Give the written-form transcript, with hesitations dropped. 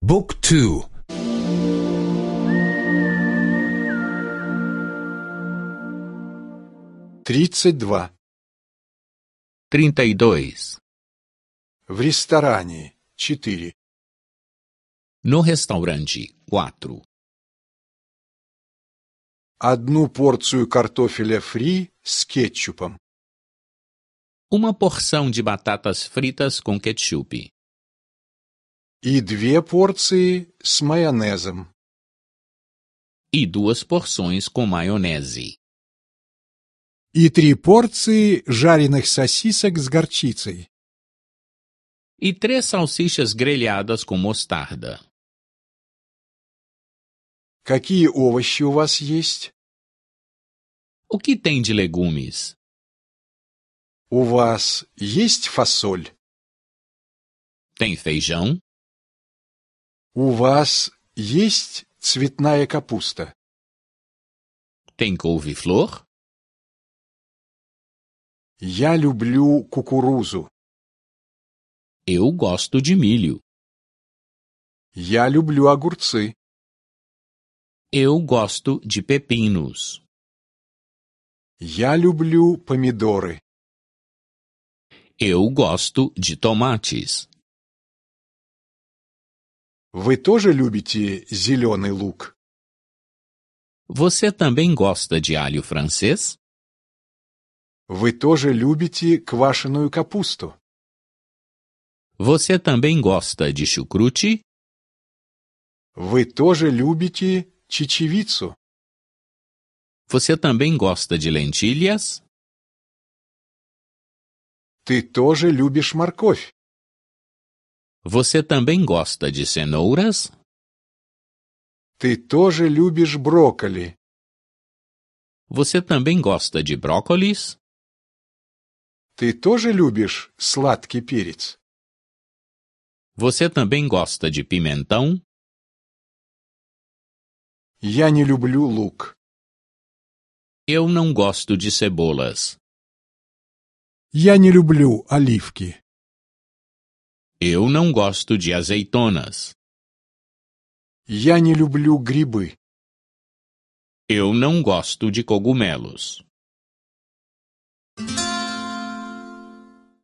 Book 2. 32. 32. В ресторане 4. No restaurante 4. Одну порцию картофеля фри с кетчупом. Uma porção de batatas fritas com ketchup. И две порции с майонезом. E duas porções com maionese. И три порции жареных сосисок с горчицей. E três salsichas grelhadas com mostarda. Какие овощи у вас есть? O que tem de legumes? У вас есть фасоль? Tem feijão? У вас есть цветная капуста? Tem couve-flor? Я люблю кукурузу. Eu gosto de milho. Я люблю огурцы. Eu gosto de pepinos. Я люблю помидоры. Eu gosto de tomates. Вы тоже любите зеленый лук? Você também gosta de alho francês? Вы тоже любите квашеную капусту? Você também gosta de chucrute? Вы тоже любите чечевицу? Você também gosta de lentilhas? Ты тоже любишь морковь? Você também gosta de cenouras? Ты тоже любишь брокколи? Você também gosta de brócolis? Ты тоже любишь сладкий перец? Você também gosta de pimentão? Я не люблю лук. Eu não gosto de cebolas. Я не люблю оливки. Eu não gosto de azeitonas. Я не люблю грибы. Eu não gosto de cogumelos.